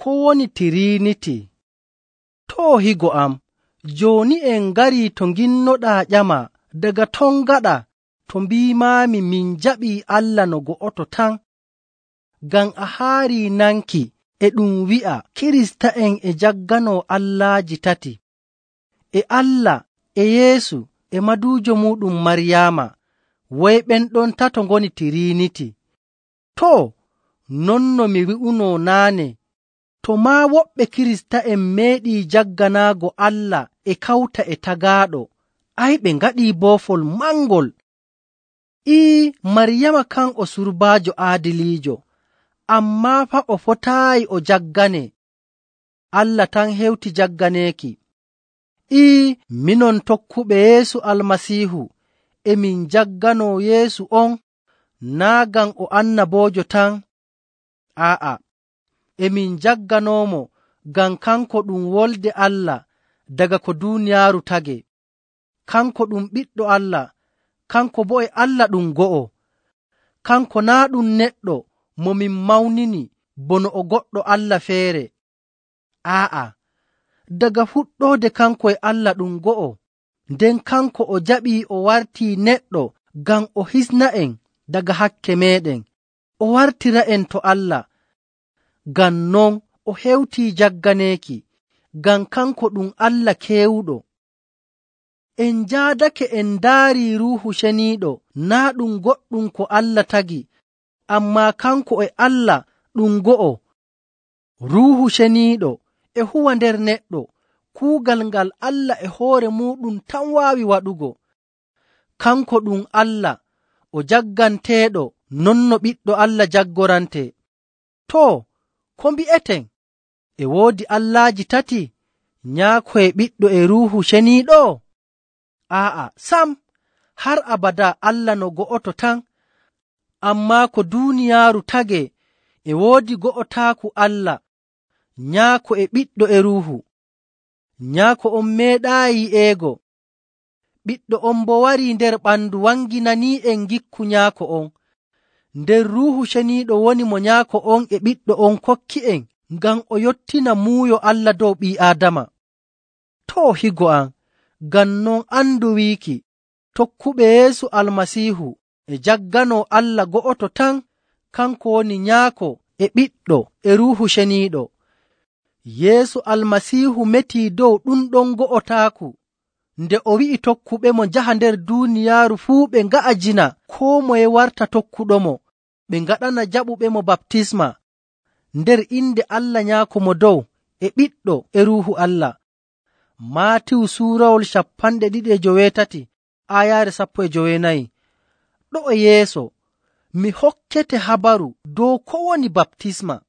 ko woni Tiriiniti. Too higo am, jooni en ngarii to nginnoɗaa ƴama daga ton gaɗa to mbiimaami min jaɓii Allah no go'oto tan. Ngam a haarii nanki e ɗum wi'a Kirista'en e jagganoo allaaji tati, e Allah, e Yeesu, e maduujo muuɗum Maryaama, woy ɓen ɗon tato ngoni Tiriiniti. Too, non no mi wi'unoo naane, to maa woɓɓe Kirista'en meeɗii jagganaago Allah e kawta e tagaaɗo, ɓe ngaɗii boofol mangol. Maryaama kan o surbaajo aadiliijo, ammaa faa o fotaayi o jagganee. Allah tan hewti jagganeeki. Minon tokkuɓe Yeesu Almasiihu e min jagganoo Yeesu on, naa' ngam o annaboojo tan. E min jagganoomo ngam kanko ɗum Wolde Allah daga ko duuniyaaru tagee. Kanko ɗum Ɓiɗɗo Allah, kanko boo e Allah ɗum go'o. Kanko naa' ɗum neɗɗo mo min mawnini bono o goɗɗo Allah feere. Daga fuɗɗoode kanko e Allah ɗum go'o, nden kanko o jaɓii o wartii neɗɗo ngam o hisna'en daga hakke meeɗen, o wartira'en to Allah. Ngam non o hewtii jagganeeki, ngam kanko ɗum Allah keewuɗo. En njaadake en ndaarii Ruuhu Ceniiɗo naa' ɗum goɗɗum ko Allah tagi, ammaa kanko e Allah ɗum go'o. Ruuhu Ceniiɗo e huwa nder neɗɗo kuugal ngal Allah e hoore muuɗum tan waawi waɗugo. Kanko ɗum Allah o jagganteeɗo non no Ɓiɗɗo Allah jaggorantee. Too, ko mbi'eten? E woodi allaaji tati, Nyaako e Ɓiɗɗo e Ruuhu Ceniiɗo? Sam, har abadaa Allah no go'oto tan. Ammaa ko duuniyaaru tagee e woodi go'otaaku Allah, Nyaako e Ɓiɗɗo e Ruuhu. Nyaako on meeɗaayi yi'eego. Ɓiɗɗo on boo warii nder ɓandu wanginanii'en ngikku Nyaako on. Nder Ruuhu Ceniiɗo woni mo Nyaako on e Ɓiɗɗo on kokki'en ngam o yottina muuyo Allah dow ɓii Aadama. Too higo am, ngam non andu wiiki tokkuɓe Yeesu Almasiihu e jagganoo Allah go'oto tan, kanko woni Nyaako e Ɓiɗɗo e Ruuhu Ceniiɗo. Yeesu Almasiihu metii dow ɗum ɗon go'otaaku nde o wi'i tokkuɓemo njaha nder duuniyaaru fuu ɓe nga'ajina koo moye warta tokkuɗomo, ɓe ngaɗana jaɓuɓemo baptisma nder inde Allah Nyaako mo dow e Ɓiɗɗo e Ruuhu Allah. Maatiwu suurawol 28 aayaare 14. Ɗo'o yeeso mi hokkete habaru dow ko woni baptisma.